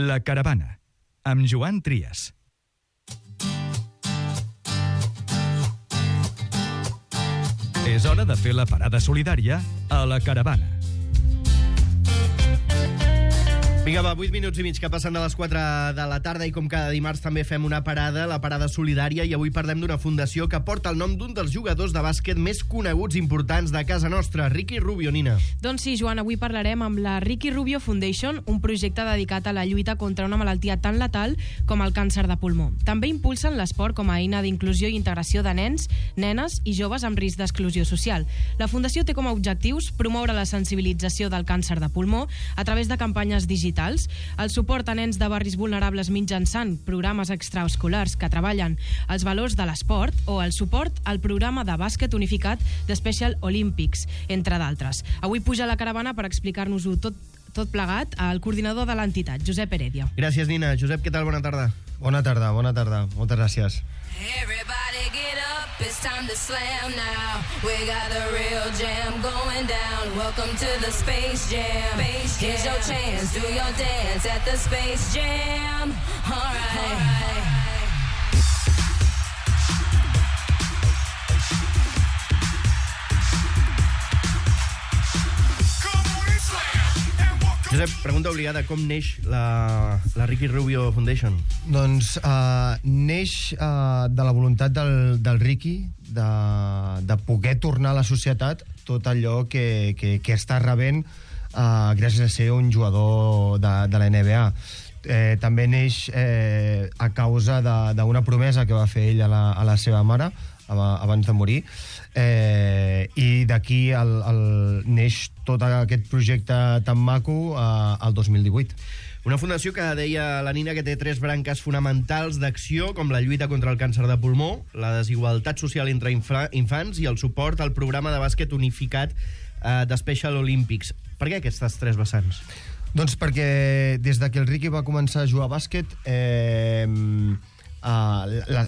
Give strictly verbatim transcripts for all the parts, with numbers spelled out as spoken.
La Caravana, amb Joan Trias. És hora de fer la parada solidària a La Caravana. Vinga, va, vuit minuts i mig que passen de les quatre de la tarda i com cada dimarts també fem una parada, la parada solidària, i avui parlem d'una fundació que porta el nom d'un dels jugadors de bàsquet més coneguts i importants de casa nostra, Ricky Rubio, Nina. Doncs sí, Joan, avui parlarem amb la Ricky Rubio Foundation, un projecte dedicat a la lluita contra una malaltia tan letal com el càncer de pulmó. També impulsen l'esport com a eina d'inclusió i integració de nens, nenes i joves amb risc d'exclusió social. La fundació té com a objectius promoure la sensibilització del càncer de pulmó a través de campanyes digitals, el suport a nens de barris vulnerables mitjançant programes extraescolars que treballen els valors de l'esport o el suport al programa de bàsquet unificat de Special Olympics, entre d'altres. Avui puja a la caravana per explicar-nos-ho tot, tot plegat al coordinador de l'entitat, Josep Heredia. Gràcies, Nina. Josep, què tal? Bona tarda. Bona tarda, bona tarda. Moltes gràcies. Everybody get up, it's time to slam now. We got the real jam going down. Welcome to the Space Jam. Space Jam. Here's your chance, do your dance at the Space Jam. All right. All right. Josep, pregunta obligada, com neix la, la Ricky Rubio Foundation? Doncs uh, neix uh, de la voluntat del, del Ricky de, de poder tornar a la societat tot allò que, que, que està rebent uh, gràcies a ser un jugador de, de la N B A. Eh, també neix eh, a causa d'una promesa que va fer ell a la, a la seva mare abans de morir, eh, i d'aquí el, el, neix tot aquest projecte tan maco eh, el dos mil divuit. Una fundació que deia la Nina que té tres branques fonamentals d'acció, com la lluita contra el càncer de pulmó, la desigualtat social entre infants i el suport al programa de bàsquet unificat eh, de Special Olympics. Per què aquestes tres vessants? Doncs perquè des de que el Ricky va començar a jugar a bàsquet eh, eh, la,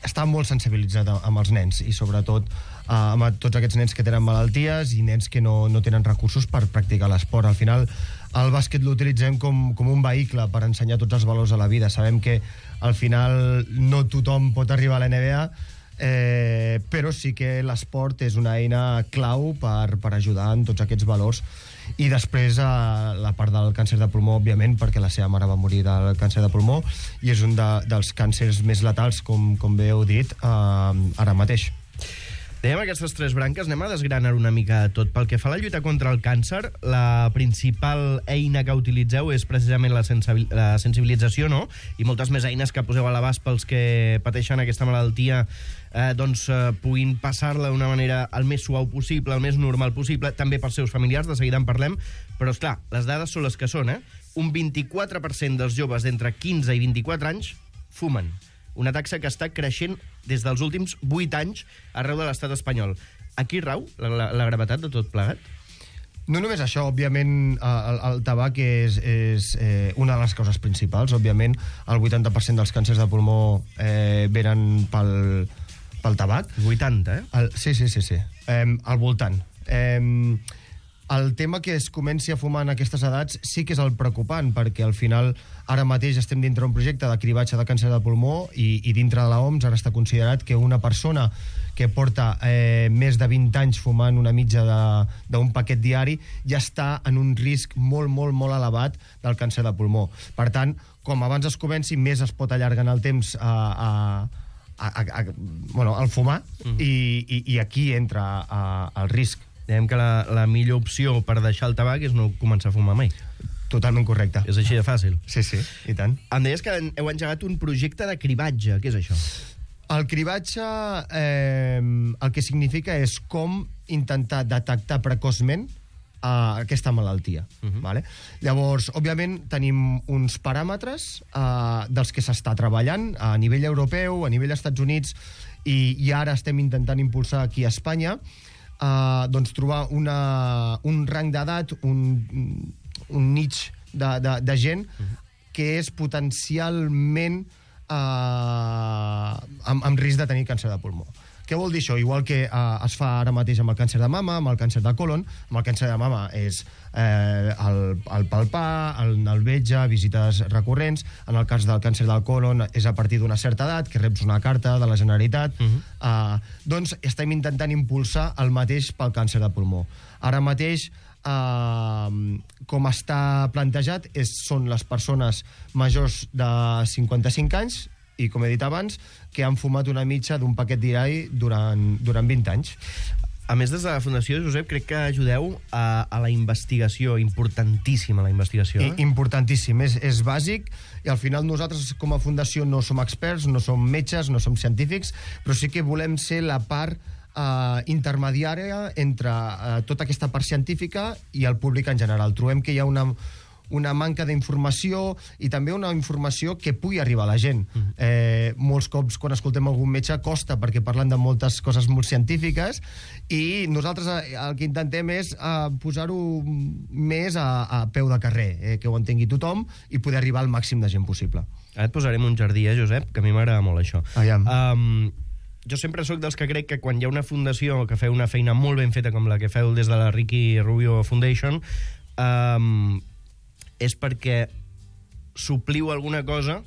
està molt sensibilitzat amb els nens i sobretot eh, amb tots aquests nens que tenen malalties i nens que no, no tenen recursos per practicar l'esport. Al final el bàsquet l'utilitzem com, com un vehicle per ensenyar tots els valors de la vida. Sabem que al final no tothom pot arribar a la N B A, eh, però sí que l'esport és una eina clau per, per ajudar en tots aquests valors. I després eh, la part del càncer de pulmó, òbviament, perquè la seva mare va morir del càncer de pulmó i és un de, dels càncers més letals, com, com bé heu dit, eh, ara mateix. Dèiem aquestes tres branques, anem a desgranar una mica tot. Pel que fa a la lluita contra el càncer, la principal eina que utilitzeu és precisament la, sensibil la sensibilització, no? I moltes més eines que poseu a l'abast pels que pateixen aquesta malaltia, eh, doncs eh, puguin passar-la d'una manera el més suau possible, el més normal possible, també pels seus familiars, de seguida en parlem, però esclar, les dades són les que són, eh? Un vint-i-quatre per cent dels joves d'entre quinze i vint-i-quatre anys fumen. Una taxa que està creixent des dels últims vuit anys arreu de l'estat espanyol. Aquí rau la, la, la gravetat de tot plegat? No només això, òbviament el, el tabac és, és eh, una de les causes principals. Òbviament el vuitanta per cent dels càncers de pulmó eh, venen pel, pel tabac. vuitanta, eh? El, sí, sí, sí, sí. Eh, al voltant. Eh, el tema que es comenci a fumar en aquestes edats sí que és el preocupant, perquè al final ara mateix estem dintre un projecte de cribatge de càncer de pulmó i, i dintre de l'O M S ara està considerat que una persona que porta eh, més de vint anys fumant una mitja d'un paquet diari ja està en un risc molt, molt, molt elevat del càncer de pulmó. Per tant, com abans es comenci, més es pot allargar en el temps a, a, a, a, a, bueno, al fumar, mm. i, i, i aquí entra a, el risc. Dèiem que la, la millor opció per deixar el tabac és no començar a fumar mai. Totalment correcte. És així de fàcil. Sí, sí, i tant. Em deies que heu engegat un projecte de cribatge. Què és això? El cribatge eh, el que significa és com intentar detectar precoçment eh, aquesta malaltia. Uh-huh. Vale? Llavors, òbviament, tenim uns paràmetres eh, dels que s'està treballant a nivell europeu, a nivell Estats Units, i, i ara estem intentant impulsar aquí a Espanya, Uh, doncs trobar una, un rang d'edat, un, un niche de, de, de gent uh-huh. que és potencialment uh, amb, amb risc de tenir càncer de pulmó. Què vol dir això? Igual que eh, es fa ara mateix amb el càncer de mama, amb el càncer de colon, amb el càncer de mama és eh, el, el palpar, el, el vetge, visites recurrents. En el cas del càncer del colon és a partir d'una certa edat, que reps una carta de la Generalitat. Uh -huh. eh, doncs estem intentant impulsar el mateix pel càncer de pulmó. Ara mateix, Uh, com està plantejat, és, són les persones majors de cinquanta-cinc anys i, com he dit abans, que han fumat una mitja d'un paquet d'irai durant, durant vint anys. A més, des de la Fundació, Josep, crec que ajudeu a, a la investigació, importantíssima la investigació. Eh? I, importantíssim, és, és bàsic, i al final nosaltres com a Fundació no som experts, no som metges, no som científics, però sí que volem ser la part Uh, intermediària entre uh, tota aquesta part científica i el públic en general. Trobem que hi ha una, una manca d'informació i també una informació que pugui arribar a la gent. Mm. Eh, molts cops, quan escoltem algun metge, costa perquè parlen de moltes coses molt científiques i nosaltres el que intentem és uh, posar-ho més a, a peu de carrer, eh, que ho entengui tothom i poder arribar al màxim de gent possible. Ara et posarem un jardí, eh, Josep, que a mi m'agrada molt això. Aviam. Um, jo sempre sóc dels que crec que quan hi ha una fundació que feu una feina molt ben feta com la que feu des de la Ricky Rubio Foundation, um, és perquè supliu alguna cosa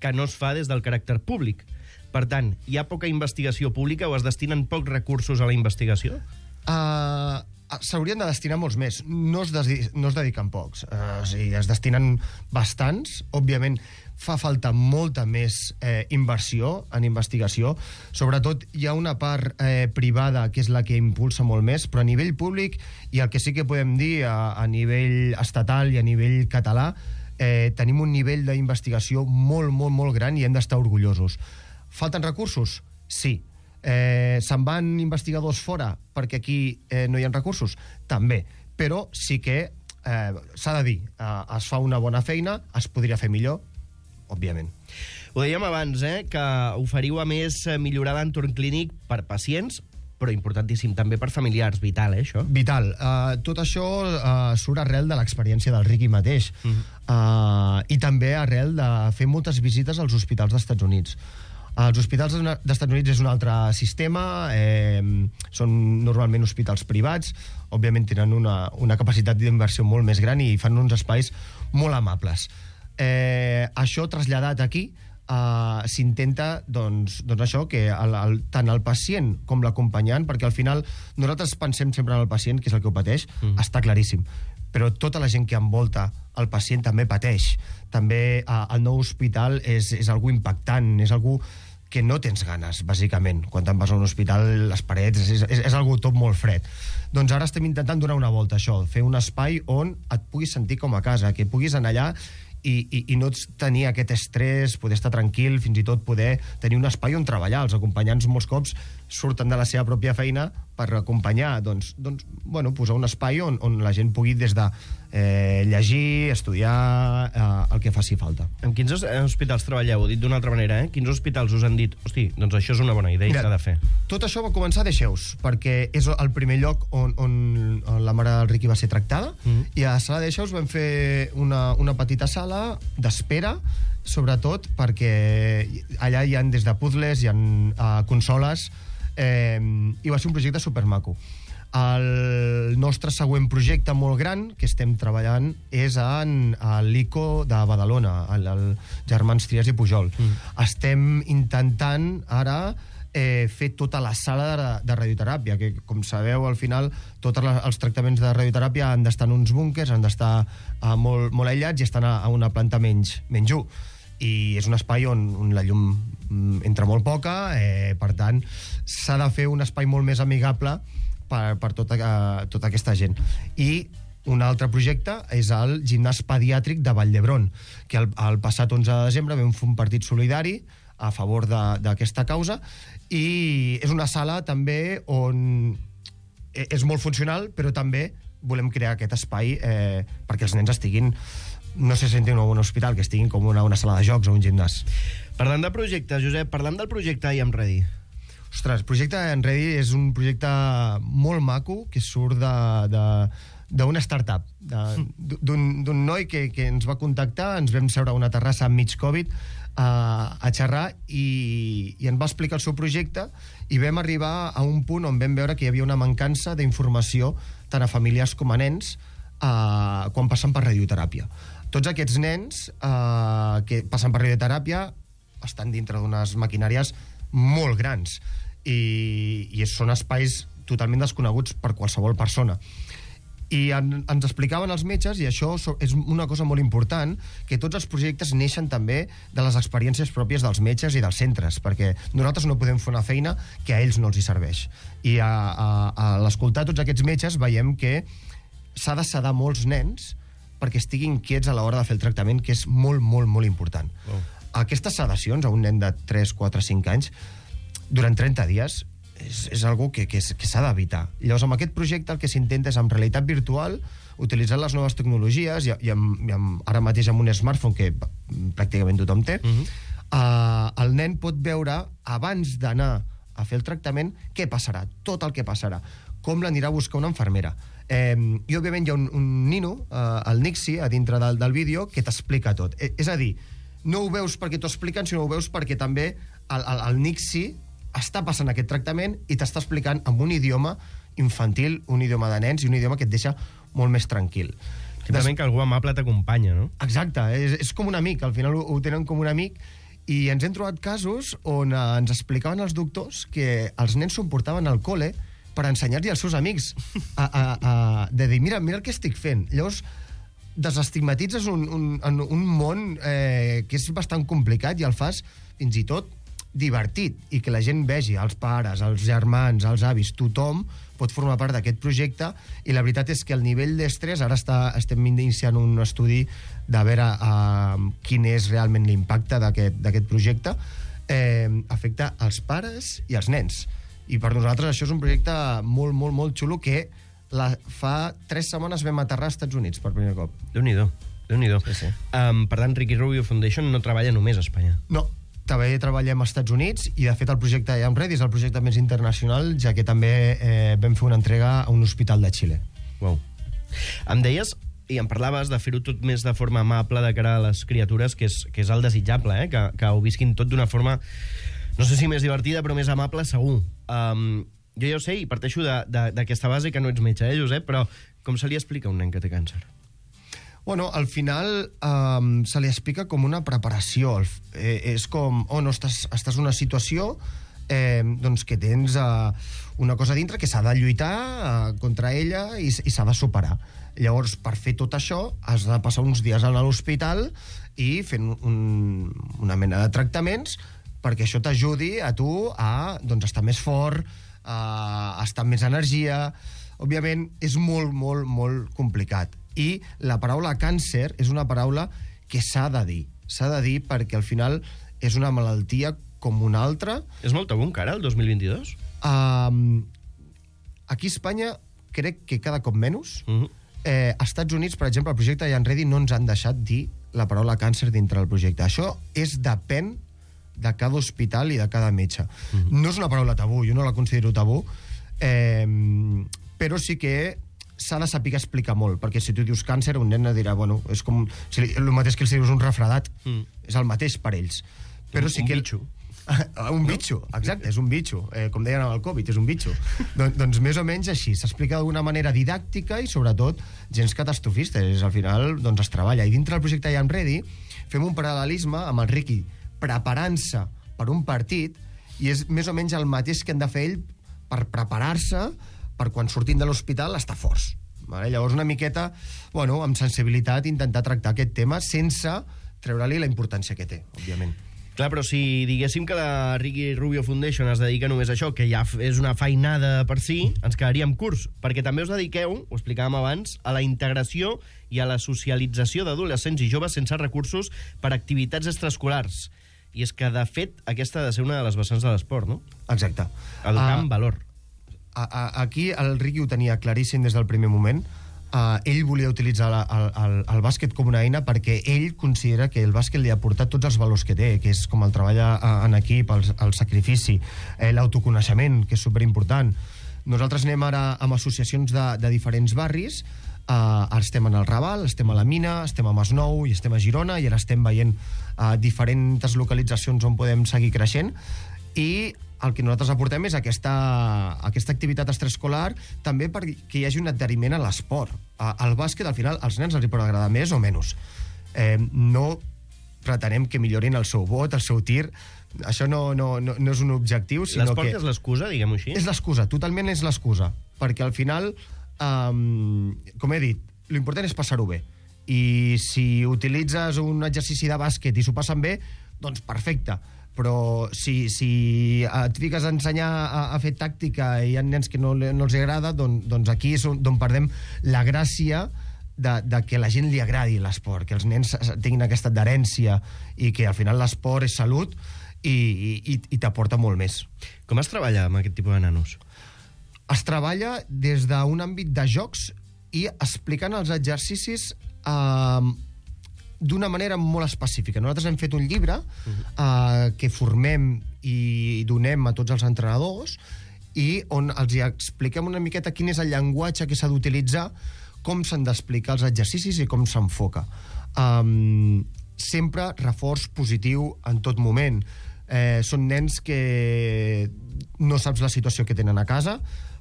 que no es fa des del caràcter públic. Per tant, hi ha poca investigació pública o es destinen pocs recursos a la investigació? Uh, S'haurien de destinar molts més. No es, des, no es dediquen pocs. Uh, o sigui, es destinen bastants. Òbviament, fa falta molta més eh, inversió en investigació. Sobretot, hi ha una part eh, privada que és la que impulsa molt més, però a nivell públic, i el que sí que podem dir a, a nivell estatal i a nivell català, eh, tenim un nivell d'investigació molt, molt, molt gran i hem d'estar orgullosos. Falten recursos? Sí. Eh, se'n van investigadors fora perquè aquí eh, no hi ha recursos? També. Però sí que eh, s'ha de dir, eh, es fa una bona feina, es podria fer millor, òbviament. Ho dèiem abans, eh, que oferiu a més millorar l'entorn clínic per pacients, però importantíssim també per familiars. Vital, eh, això? Vital. Uh, tot això uh, surt arrel de l'experiència del Ricky mateix. Uh -huh. uh, I també arrel de fer moltes visites als hospitals dels Estats Units. Els hospitals dels Estats Units és un altre sistema, eh, són normalment hospitals privats, òbviament tenen una, una capacitat d'inversió molt més gran i fan uns espais molt amables. Eh, això traslladat aquí, eh, s'intenta doncs, doncs això, que el, el, tant el pacient com l'acompanyant, perquè al final nosaltres pensem sempre en el pacient, que és el que ho pateix, mm. està claríssim, però tota la gent que envolta el pacient també pateix. També eh, el nou hospital és, és algú impactant, és algú que no tens ganes, bàsicament. Quan te'n vas a un hospital, les parets, és, és, és algú tot molt fred. Doncs ara estem intentant donar una volta a això, fer un espai on et puguis sentir com a casa, que puguis anar allà i, i, i no tenir aquest estrès, poder estar tranquil, fins i tot poder tenir un espai on treballar. Els acompanyants molts cops surten de la seva pròpia feina per acompanyar, doncs, doncs bueno, posar un espai on, on la gent pugui des de eh, llegir, estudiar, eh, el que faci falta. En quins hospitals treballeu? Dit d'una altra manera, eh? Quins hospitals us han dit, hosti, doncs això és una bona idea i s'ha de fer? Tot això va començar a Deixeus, perquè és el primer lloc on, on, on la mare del Ricky va ser tractada, mm. i a la sala de Deixeus vam fer una, una petita sala d'espera, sobretot perquè allà hi ha des de puzzles, hi ha uh, consoles, eh, i va ser un projecte supermaco. El nostre següent projecte molt gran que estem treballant és en l'I C O de Badalona, el, el Germans Trias i Pujol. Mm. Estem intentant ara eh, fer tota la sala de, de radioteràpia, que com sabeu al final tots els tractaments de radioteràpia han d'estar en uns búnkers, han d'estar uh, molt, molt aïllats i estan a, a una planta menys, menys u. I és un espai on, on la llum entra molt poca, eh, per tant s'ha de fer un espai molt més amigable per, per tota, uh, tota aquesta gent. I un altre projecte és el gimnàs pediàtric de Vall d'Hebron, que el, el passat onze de desembre vam fer un partit solidari a favor d'aquesta causa, i és una sala també on és molt funcional, però també volem crear aquest espai eh, perquè els nens estiguin, no se sentin en un hospital, que estiguin com una, una sala de jocs o un gimnàs. Parlant de projectes, Josep, parlant del projecte I Am Ready. Ostres, el projecte I Am Ready és un projecte molt maco que surt de... de d'una startup, d'un noi que, que ens va contactar, ens vam seure a una terrassa enmig Covid, a, a xerrar i, i ens va explicar el seu projecte i vam arribar a un punt on vam veure que hi havia una mancança d'informació tant a familiars com a nens eh, quan passen per radioteràpia. Tots aquests nens eh, que passen per radioteràpia estan dintre d'unes maquinàries molt grans i, i són espais totalment desconeguts per qualsevol persona. I en, ens explicaven els metges, i això és una cosa molt important, que tots els projectes neixen també de les experiències pròpies dels metges i dels centres, perquè nosaltres no podem fer una feina que a ells no els hi serveix. I a, a, a l'escoltar tots aquests metges veiem que s'ha de sedar molts nens perquè estiguin quiets a l'hora de fer el tractament, que és molt, molt, molt important. Oh. Aquestes sedacions a un nen de tres, quatre, cinc anys, durant trenta dies, és, és algo que, que, que s'ha d'evitar. Llavors, amb aquest projecte el que s'intenta és, amb realitat virtual, utilitzant les noves tecnologies, i, i, amb, i amb, ara mateix amb un smartphone que pràcticament tothom té, uh-huh. uh, el nen pot veure, abans d'anar a fer el tractament, què passarà, tot el que passarà, com l'anirà a buscar una infermera. Eh, I, òbviament, hi ha un, un nino, uh, el Nixi, a dintre del, del vídeo, que t'explica tot. Eh, és a dir, no ho veus perquè t'ho expliquen, sinó ho veus perquè també el, el, el Nixi està passant aquest tractament i t'està explicant amb un idioma infantil, un idioma de nens i un idioma que et deixa molt més tranquil. Simplement que algú amable t'acompanya, no? Exacte, és, és com un amic, al final ho, ho tenen com un amic, i ens hem trobat casos on eh, ens explicaven els doctors que els nens s'ho portaven al col·le per ensenyar-li als seus amics a, a, a, de dir, mira, mira el que estic fent. Llavors, desestigmatitzes un, un, un món eh, que és bastant complicat i el fas fins i tot divertit, i que la gent vegi, els pares, els germans, els avis, tothom pot formar part d'aquest projecte, i la veritat és que el nivell d'estrès, ara està, estem iniciant un estudi de veure uh, quin és realment l'impacte d'aquest projecte, eh, afecta els pares i els nens. I per nosaltres això és un projecte molt, molt, molt xulo que la, fa tres setmanes vam aterrar als Estats Units per primer cop. Déu-n'hi-do, Déu-n'hi-do. Sí, sí. Um, per tant, Ricky Rubio Foundation no treballa només a Espanya. No, també treballem als Estats Units, i de fet el projecte I Am Ready és el projecte més internacional, ja que també eh, vam fer una entrega a un hospital de Xile. Wow. Em deies, i em parlaves de fer-ho tot més de forma amable de cara a les criatures, que és, que és el desitjable, eh? que, que ho visquin tot d'una forma, no sé si més divertida, però més amable, segur. Um, jo ja ho sé, i parteixo d'aquesta base, que no ets metge, eh, Josep, però com se li explica a un nen que té càncer? Bueno, al final um, se li explica com una preparació. Eh, és com, oh, no, estàs, estàs en una situació eh, doncs que tens uh, una cosa dintre que s'ha de lluitar uh, contra ella i, i s'ha de superar. Llavors, per fer tot això, has de passar uns dies a l'hospital i fent un, una mena de tractaments perquè això t'ajudi a tu a doncs, estar més fort, a estar amb més energia. Òbviament, és molt, molt, molt complicat. I la paraula càncer és una paraula que s'ha de dir. S'ha de dir perquè al final és una malaltia com una altra. És molt tabú encara, el dos mil vint-i-dos? Um, aquí a Espanya crec que cada cop menys. Uh-huh. Eh, als Estats Units, per exemple, el projecte I Am Ready no ens han deixat dir la paraula càncer dintre del projecte. Això és depèn de cada hospital i de cada metge. Uh-huh. No és una paraula tabú, jo no la considero tabú, eh, però sí que s'ha de saber explicar molt, perquè si tu dius càncer, un nen dirà, bueno, és com si li, el mateix que els dius un refredat, mm. és el mateix per ells. Però un, sí que un bitxo. un bitxo, exacte, és un bitxo. Eh, com deien amb el Covid, és un bitxo. Don, doncs més o menys així, s'explica d'una manera didàctica i sobretot gens catastrofista. És, al final doncs, es treballa. I dintre del projecte I Am Ready fem un paral·lelisme amb el Ricky preparant-se per un partit, i és més o menys el mateix que han de fer ell per preparar-se per quan sortim de l'hospital estar forts. Vale? Llavors, una miqueta, bueno, amb sensibilitat, intentar tractar aquest tema sense treure-li la importància que té, òbviament. Clar, però si diguéssim que la Ricky Rubio Foundation es dedica només a això, que ja és una feinada per si, ens quedaríem curts, perquè també us dediqueu, ho explicàvem abans, a la integració i a la socialització d'adolescents i joves sense recursos per activitats extraescolars. I és que, de fet, aquesta ha de ser una de les vessants de l'esport, no? Exacte. Educar uh, en valor. A, a, aquí el Ricky ho tenia claríssim des del primer moment. Uh, ell volia utilitzar la, el, el, el bàsquet com una eina perquè ell considera que el bàsquet li ha portat tots els valors que té, que és com el treball en equip, el, el sacrifici, eh, l'autoconeixement, que és superimportant. Nosaltres anem ara amb associacions de, de diferents barris Uh, ara estem en el Raval, estem a la Mina, estem a Masnou i estem a Girona, i ara estem veient uh, diferents localitzacions on podem seguir creixent, i el que nosaltres aportem és aquesta, aquesta activitat extraescolar també perquè hi hagi un adheriment a l'esport. Uh, el bàsquet, al final, als nens els hi pot agradar més o menys. Eh, no pretenem que millorin el seu vot, el seu tir. Això no, no, no, no és un objectiu, sinó L'esport que... és l'excusa, diguem-ho així? És l'excusa, totalment és l'excusa. Perquè al final, um, com he dit, l'important és passar-ho bé. I si utilitzes un exercici de bàsquet i s'ho passen bé, doncs perfecte. Però si, si et fiques a ensenyar a, a fer tàctica i hi ha nens que no, no els agrada, doncs, doncs aquí és on, on perdem la gràcia de, de que a la gent li agradi l'esport, que els nens tinguin aquesta adherència i que al final l'esport és salut i, i, i t'aporta molt més. Com es treballa amb aquest tipus de nanos? Es treballa des d'un àmbit de jocs i explicant els exercicis eh, d'una manera molt específica. Nosaltres hem fet un llibre eh, que formem i donem a tots els entrenadors i on els hi expliquem una miqueta quin és el llenguatge que s'ha d'utilitzar, com s'han d'explicar els exercicis i com s'enfoca. Um, sempre reforç positiu en tot moment. Eh, són nens que no saps la situació que tenen a casa,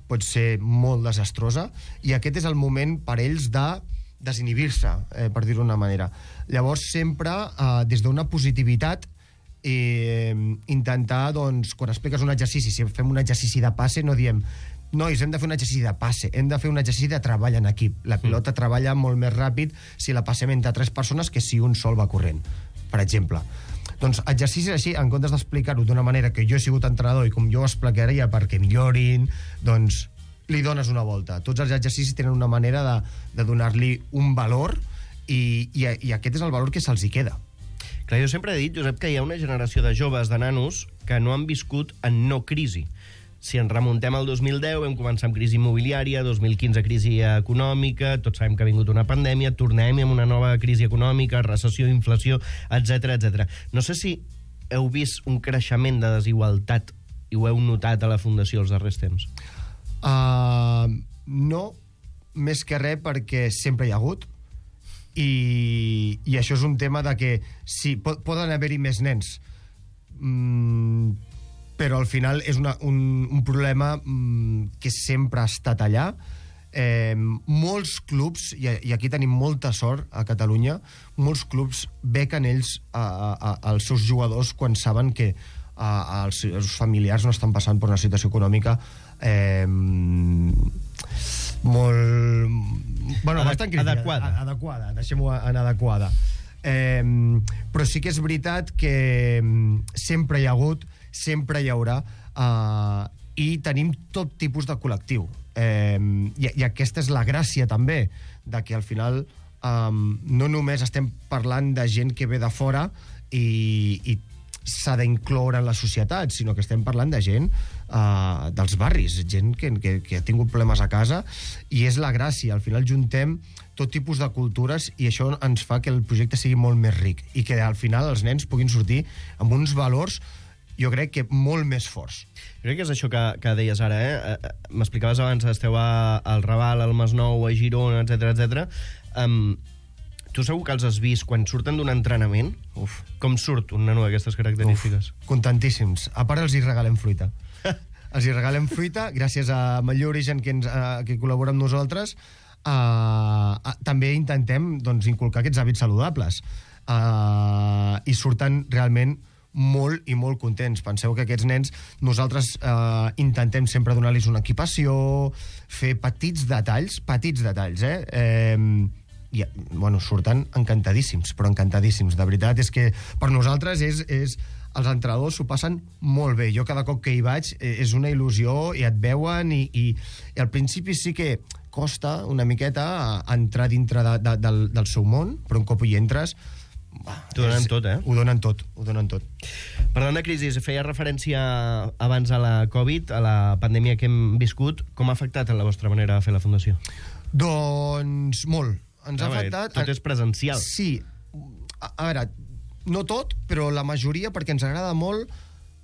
pot ser molt desastrosa, i aquest és el moment per ells de desinhibir-se, eh, per dir-ho d'una manera. Llavors, sempre, eh, des d'una positivitat, eh, intentar, doncs, quan expliques un exercici, si fem un exercici de passe, no diem nois, hem de fer un exercici de passe, hem de fer un exercici de treball en equip. La pilota mm. treballa molt més ràpid si la passem entre tres persones que si un sol va corrent, per exemple. Doncs exercicis així, en comptes d'explicar-ho d'una manera que jo he sigut entrenador i com jo ho explicaria perquè millorin, doncs li dones una volta. Tots els exercicis tenen una manera de, de donar-li un valor i, i, i aquest és el valor que se'ls hi queda. Clar, jo sempre he dit, Josep, que hi ha una generació de joves, de nanos, que no han viscut en no crisi. Si ens remuntem al dos mil deu, vam començar amb crisi immobiliària, dos mil quinze crisi econòmica, tots sabem que ha vingut una pandèmia, tornem amb una nova crisi econòmica, recessió, inflació, etcètera, etcètera. No sé si heu vist un creixement de desigualtat i ho heu notat a la Fundació els darrers temps. Uh, no, més que res perquè sempre hi ha hagut, i, i això és un tema de que sí, pot, poden haver-hi més nens, mm, però al final és una, un, un problema mm, que sempre ha estat allà. Eh, molts clubs, i, i aquí tenim molta sort a Catalunya, molts clubs bequen ells a, a, als seus jugadors quan saben que a, els seus familiars no estan passant per una situació econòmica eh, molt... Bueno, Adec bastant crítica. adequada. Adequada, deixem-ho en adequada. Eh, però sí que és veritat que sempre hi ha hagut, sempre hi haurà, eh, i tenim tot tipus de col·lectiu. Eh, i, I aquesta és la gràcia, també, de que al final eh, no només estem parlant de gent que ve de fora i, i s'ha d'incloure en la societat, sinó que estem parlant de gent eh, dels barris, gent que, que, que ha tingut problemes a casa, i és la gràcia. Al final juntem tot tipus de cultures i això ens fa que el projecte sigui molt més ric i que al final els nens puguin sortir amb uns valors, jo crec que molt més forts. Crec que és això que, que deies ara, eh? M'explicaves abans, esteu a, al Raval, al Masnou, a Girona, etcètera, etcètera. Um, tu segur que els has vist quan surten d'un entrenament? Uf, com surt un nano d'aquestes característiques? Uf, contentíssims. A part els hi regalem fruita. Els hi regalem fruita, gràcies a Matlló Origen, que, ens, uh, que col·labora amb nosaltres. Uh, uh, també intentem, doncs, inculcar aquests hàbits saludables. Uh, I surten realment molt i molt contents. Penseu que aquests nens, nosaltres eh, intentem sempre donar-los una equipació, fer petits detalls, petits detalls, eh? eh i, bueno, surten encantadíssims, però encantadíssims. De veritat, és que per nosaltres és, és els entrenadors s'ho passen molt bé. Jo cada cop que hi vaig és una il·lusió i et veuen i, i, i al principi sí que costa una miqueta entrar dintre de, de, del, del seu món, però un cop hi entres T'ho donen tot, eh? Ho donen tot, ho donen tot. Parlant de crisi, feia referència abans a la Covid, a la pandèmia que hem viscut. Com ha afectat la vostra manera de fer la Fundació? Doncs molt. Ens ah, ha afectat... Tot és presencial. Sí. A, a veure, no tot, però la majoria, perquè ens agrada molt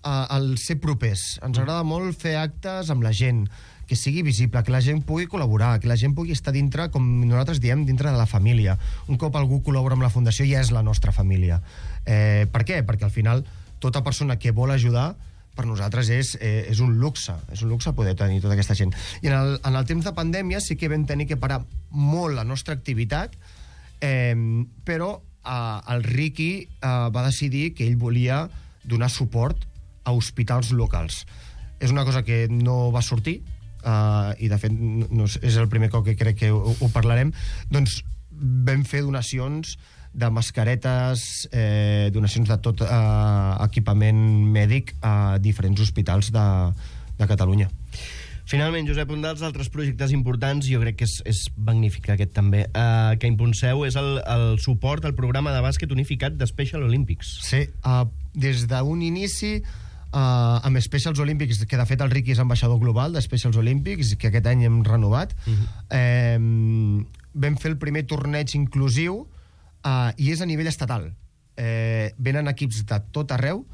uh, el ser propers. Ens agrada molt fer actes amb la gent, que sigui visible, que la gent pugui col·laborar, que la gent pugui estar dintre, com nosaltres diem, dintre de la família. Un cop algú col·labora amb la Fundació ja és la nostra família. Eh, per què? Perquè al final tota persona que vol ajudar per nosaltres és, eh, és un luxe, és un luxe poder tenir tota aquesta gent. I en el, en el temps de pandèmia sí que vam tenir que parar molt la nostra activitat, eh, però eh, el Riqui eh, va decidir que ell volia donar suport a hospitals locals. És una cosa que no va sortir, Uh, i de fet no, és el primer cop que crec que ho, ho parlarem, doncs vam fer donacions de mascaretes, eh, donacions de tot eh, equipament mèdic a diferents hospitals de, de Catalunya. Finalment, Josep, un dels altres projectes importants, jo crec que és, és magnífic aquest també, eh, que impulseu és el, el suport al programa de bàsquet unificat de Special Olympics. Sí, uh, des d'un inici Uh, amb Specials Olympics, que de fet el Riqui és ambaixador global de Specials Olympics, que aquest any hem renovat. Uh-huh. eh, vam fer el primer torneig inclusiu uh, i és a nivell estatal. Eh, venen equips de tot arreu,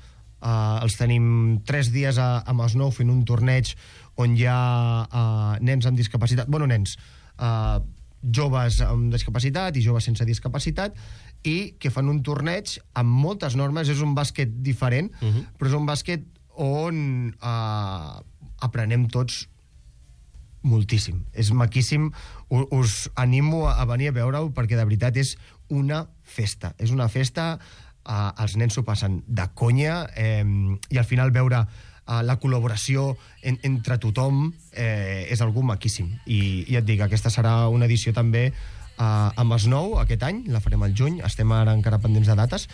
uh, els tenim tres dies a, a Masnou fent un torneig on hi ha uh, nens amb discapacitat, bueno, nens, uh, joves amb discapacitat i joves sense discapacitat, i que fan un torneig amb moltes normes. És un bàsquet diferent, uh-huh. però és un bàsquet on eh, aprenem tots moltíssim. És maquíssim. U- us animo a venir a veure-ho perquè de veritat és una festa. És una festa, eh, els nens s'ho passen de conya, eh, i al final veure eh, la col·laboració en, entre tothom eh, és algú maquíssim. I, i et dic, aquesta serà una edició també Uh, a Masnou aquest any, la farem al juny, estem ara encara pendents de dates,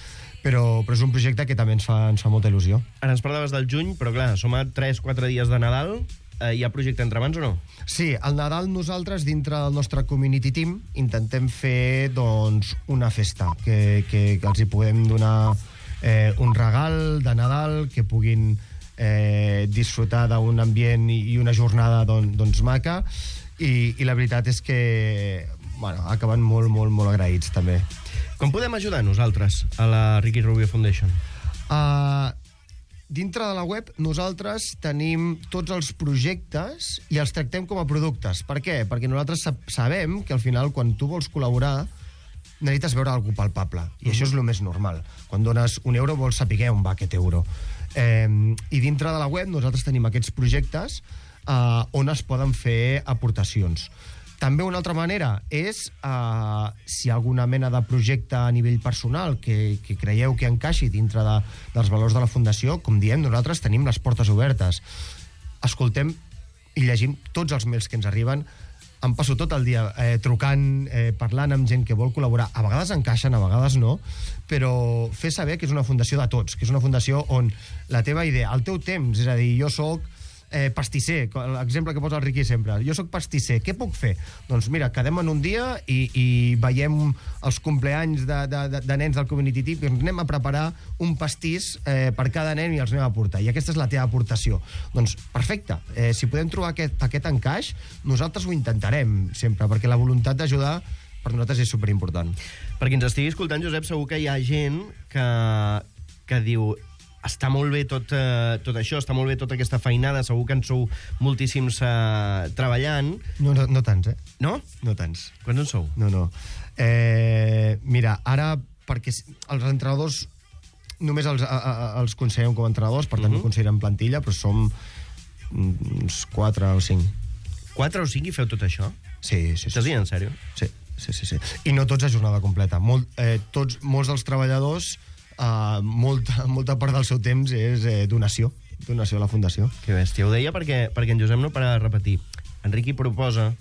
però, però és un projecte que també ens fa, ens fa molta il·lusió. Ara ens parlaves del juny, però clar, som a tres quatre dies de Nadal, eh, hi ha projecte entre mans o no? Sí, al Nadal nosaltres, dintre del nostre community team, intentem fer doncs, una festa, que, que, que els hi podem donar eh, un regal de Nadal, que puguin eh, disfrutar d'un ambient i, i una jornada don, doncs maca, i, i la veritat és que bueno, acaben molt, molt, molt agraïts, també. Com podem ajudar nosaltres a la Riqui Rubio Foundation? Uh, dintre de la web nosaltres tenim tots els projectes i els tractem com a productes. Per què? Perquè nosaltres sabem que al final, quan tu vols col·laborar, necessites veure algú palpable. I mm. això és el més normal. Quan dones un euro vols saber on va aquest euro. Eh, I dintre de la web nosaltres tenim aquests projectes uh, on es poden fer aportacions. També una altra manera és, eh, si hi ha alguna mena de projecte a nivell personal que, que creieu que encaixi dintre de, dels valors de la Fundació, com diem, nosaltres tenim les portes obertes. Escoltem i llegim tots els mails que ens arriben. Em passo tot el dia eh, trucant, eh, parlant amb gent que vol col·laborar. A vegades encaixen, a vegades no, però fer saber que és una fundació de tots, que és una fundació on la teva idea, el teu temps, és a dir, jo soc Eh, pastisser, l'exemple que posa el Riqui sempre. Jo sóc pastisser, què puc fer? Doncs mira, quedem en un dia i, i veiem els compleanys de, de, de, de nens del community team i anem a preparar un pastís eh, per cada nen i els anem a portar. I aquesta és la teva aportació. Doncs perfecte, eh, si podem trobar aquest, aquest encaix, nosaltres ho intentarem sempre, perquè la voluntat d'ajudar per nosaltres és superimportant. Per qui ens estigui escoltant, Josep, segur que hi ha gent que, que diu està molt bé tot, eh, tot això, està molt bé tota aquesta feinada, segur que en sou moltíssims eh, treballant. No, no, no tants, eh? No? No tants. Quants en sou? No, no. Eh, mira, ara, perquè els entrenadors només els, a, a, els considerem com a entrenadors, per tant uh-huh. no considerem plantilla, però som uns quatre o cinc. Quatre o cinc i feu tot això? Sí, sí. sí. Estàs dient en sèrio? Sí, sí, sí, sí. I no tots a jornada completa. Molt, eh, tots, molts dels treballadors Uh, molta, molta part del seu temps és eh, donació, donació a la Fundació. Que bèstia, ho deia perquè, perquè en Josep no para de repetir. Enriqui proposa,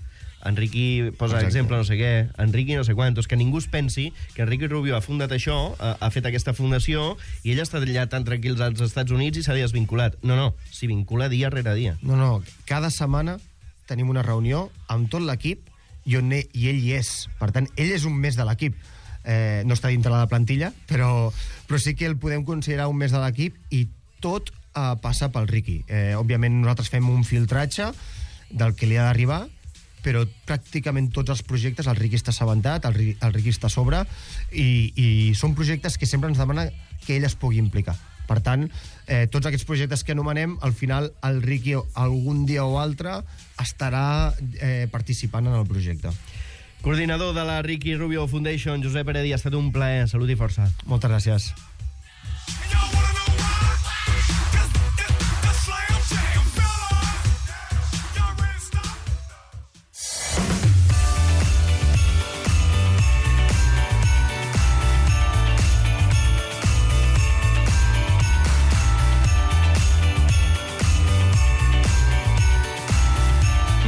Enriqui posa Exacte. exemple no sé què, Enriqui no sé quantos, que ningú es pensi que Enriqui Rubio ha fundat això, ha, ha fet aquesta fundació, i ell està allà tan tranquils als Estats Units i s'ha desvinculat. No, no, s'hi vincula dia rere dia. No, no, cada setmana tenim una reunió amb tot l'equip i, on ell, i ell hi és. Per tant, ell és un mes de l'equip. Eh, no està dintre de la plantilla, però, però sí que el podem considerar un mes de l'equip i tot eh, passa pel Riqui. Eh, òbviament nosaltres fem un filtratge del que li ha d'arribar, però pràcticament tots els projectes el Riqui està assabentat, el, Riqui, el Riqui està a sobre, i, i són projectes que sempre ens demana que ell es pugui implicar. Per tant, eh, tots aquests projectes que anomenem, al final el Riqui algun dia o altre estarà eh, participant en el projecte. Coordinador de la Ricky Rubio Foundation, Josep Heredia, ha estat un plaer. Salut i força. Moltes gràcies.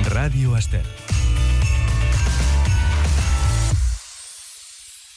Ràdio Estel.